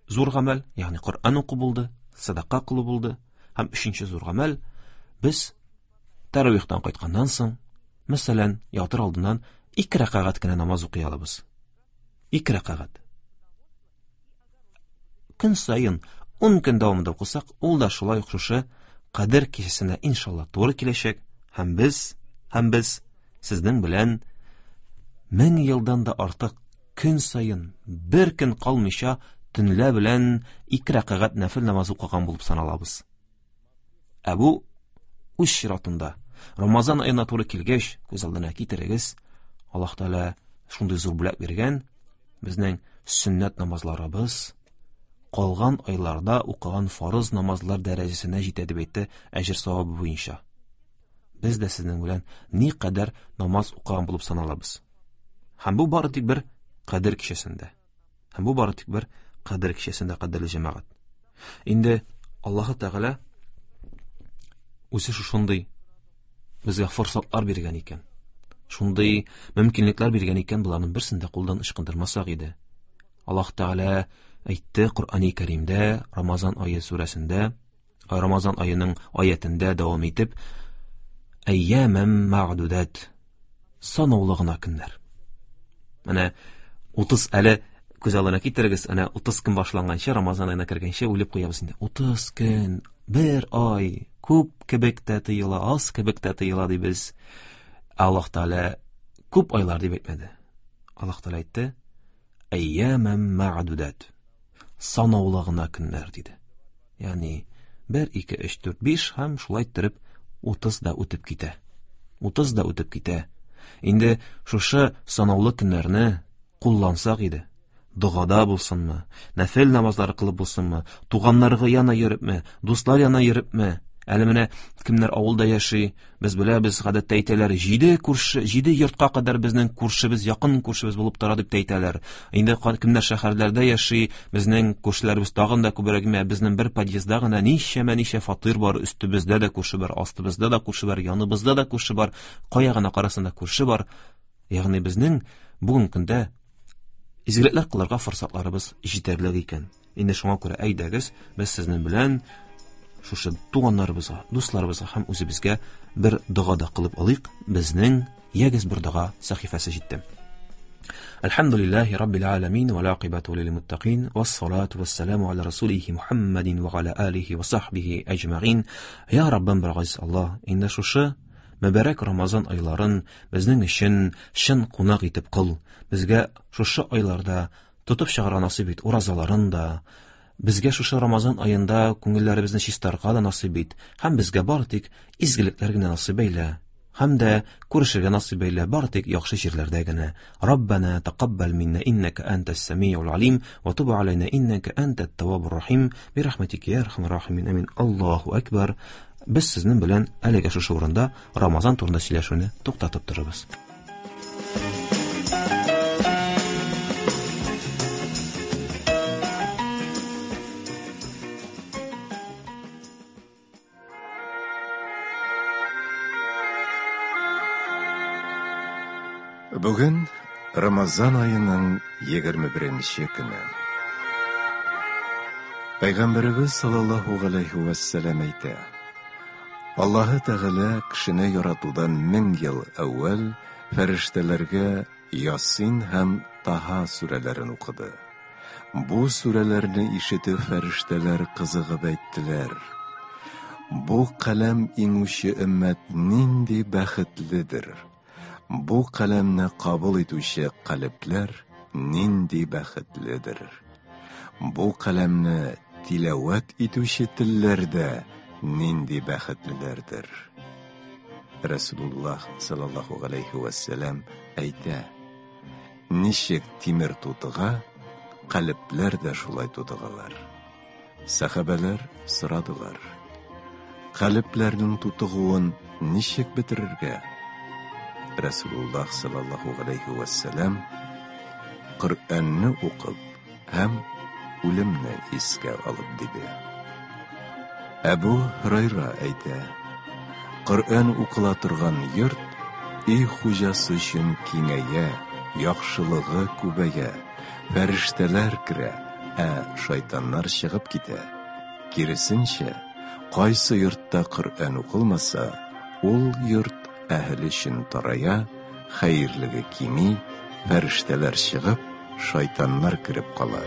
зур гамәл, ягъни Коръән уку булды, садака кылу булды, һәм өченче зур гамәл без таравихтан кайтканнан соң, мәсәлән, ятыр алдыннан 2 рәкәгать кенә намаз укый алабыз. 2 рәкәгать. Көн саен 10 көн дәвамында укысак, ул да шулай ук шушы Кадер кичәсенә иншалла туры киләчәк, һәм без, һәм без сезнең белән 1000 елдан да артык көн саен бер көн калмыйча төнлә белән 2 рәкәгать нәфил намазы укыган булып саналабыз. Ә бу үз чиратында Рамазан аена туры килгәч, күз алдына китерегез, Аллаһ Тәгалә шундый зур бүләк биргән, безнең сөннәт намазларыбыз калган айларда укыган фарыз намазлар дәрәҗәсенә җитә дип әйтте әҗер савабы буенча. Без дә сезнең белән никадәр намаз укыган булып саналабыз. Һәм бу бары тик бер Кадер кичәсендә. Һәм бу бары тик бер Кадер кичәсендә, кадерле җәмәгать. Инде Аллаһы Тәгалә үзе шушындый безгә форсатлар биргән икән. Шундый мөмкинлекләр биргән икән, боларның берсен дә кулдан ычкындырмасак иде. Аллаһ Тәгалә әйтте Коръәни Кәримдә, Рамазан ае сүрәсендә, Рамазан аеның аятендә дәвам итеп, Әйямәм мәгъдудат, санаулы гына көннәр. Менә 30 әле күз алдына китерегез, әнә 30 көн башланганчы, Рамазан аена кергәнче уйлап куябыз инде. 30 көн, бер ай, күп кебек тә тоела, аз кебек тә тоела дибез. Аллаһ Тәгалә күп айлар дип әйтмәде. Аллаһ Тәгалә әйтте: "Әйямам мә'дудат." Санаулы гына көннәр диде. Ягъни 1 2 3 4 5 һәм шулай иттереп 30 да үтеп китә. 30 да үтеп китә. Инде шушы санаулы көннәрне куллансак иде. Догада булсынмы, нәфел намазлары кылып булсынмы, туганнарга яна йөрепме, дуслар яна йөрепме, Әле менә кемнәр авылда яши, без беләбез, гадәттә әйтәләр, җиде күрше, җиде йортка кадәр безнең күршебез, якын күршебез булып тора дип тә әйтәләр. Инде кемнәр шәһәрләрдә яши, безнең күршеләребез тагын да күбрәк, менә безнең бер подъездда гына ничәмә-ничә фатир бар, өстебездә дә күрше бар, астыбызда да күрше бар, яныбызда да күрше бар, кая гына карасаң да күрше бар. Ягъни безнең бүгенге көндә изгелекләр кылырга форсатларыбыз җитәрлек икән. Инде шуңа күрә әйдәгез, без сезнең белән шушы туганнарыбызга, дусларыбызга һәм үзебезгә бер дога да кылып алыйк. Безнең ягез бер дога сәхифәсе җитте. الحمد لله رب العالمين والعاقبة للمتقين والصلاة والسلام على رسوله محمد وعلى آله وصحبه أجمعين يا ربم бер Аллаһ инде шушы мөбарәк Рамазан айларын безнең өчен чын кунак итеп кыл. Безгә шушы айларда тотып чыгарга насыйп ит уразаларын да, безгә шушы Рамазан аенда күңелләребезне чистарга да насыйп ит һәм безгә бары тик изгелекләр генә насыйп әйлә. Һәм дә күрешергә насыйп әйлә бары тик яхшы җирләрдә генә. Раббана тақаббал минна иннака антас самиул алим ва туб алайна иннака антат таввабур рахим. Би рахматика я архамар рахимин. Амин. Аллаһу акбар. Без сезнең белән әлегә шушы урында Рамазан турында сөйләшүне туктатып торабыз. Бүген Рамазан аеның 21 көне. Пәйгамбәребез саллаллаһу галәйһи вәссәлам әйтә: Аллаһы Тәгалә кешене яратудан 1000 ел әүвәл фәрештәләргә Ясин һәм Таһа сүрәләрен укыды. Бу сүрәләрне ишетеп фәрештәләр кызыгып әйттеләр: Бу каләм иңүче өммәт нинди бәхетледер! Бу каләмне кабул итүче калебләр нинди бәхетледер! Бу каләмне тиләвәт итүче телләр дә нинди бәхетлеләрдер! Расулуллаһ саллаллаһу галәйһи вәссәлам әйтә: Ничек тимер тутыга, калебләр дә шулай тутыгалар. Сәхабәләр сорадылар: Калебләрнең тутыгуын ничек бетерергә? Расулуллаһ саллаллаһу галәйһи вәссәлам Коръәнне укып һәм үлемне искә алып диде. Әбу Һурайра әйтә: Коръән укыла торган йорт өй хуҗасы өчен киңәя, яхшылыгы күбәя, фәрештәләр керә, ә шайтаннар чыгып китә. Киресенчә, кайсы йортта Коръән укылмаса, ул йорт әһеле өчен тарая, хәерлеге кими, фәрештәләр чыгып, шайтаннар кереп кала.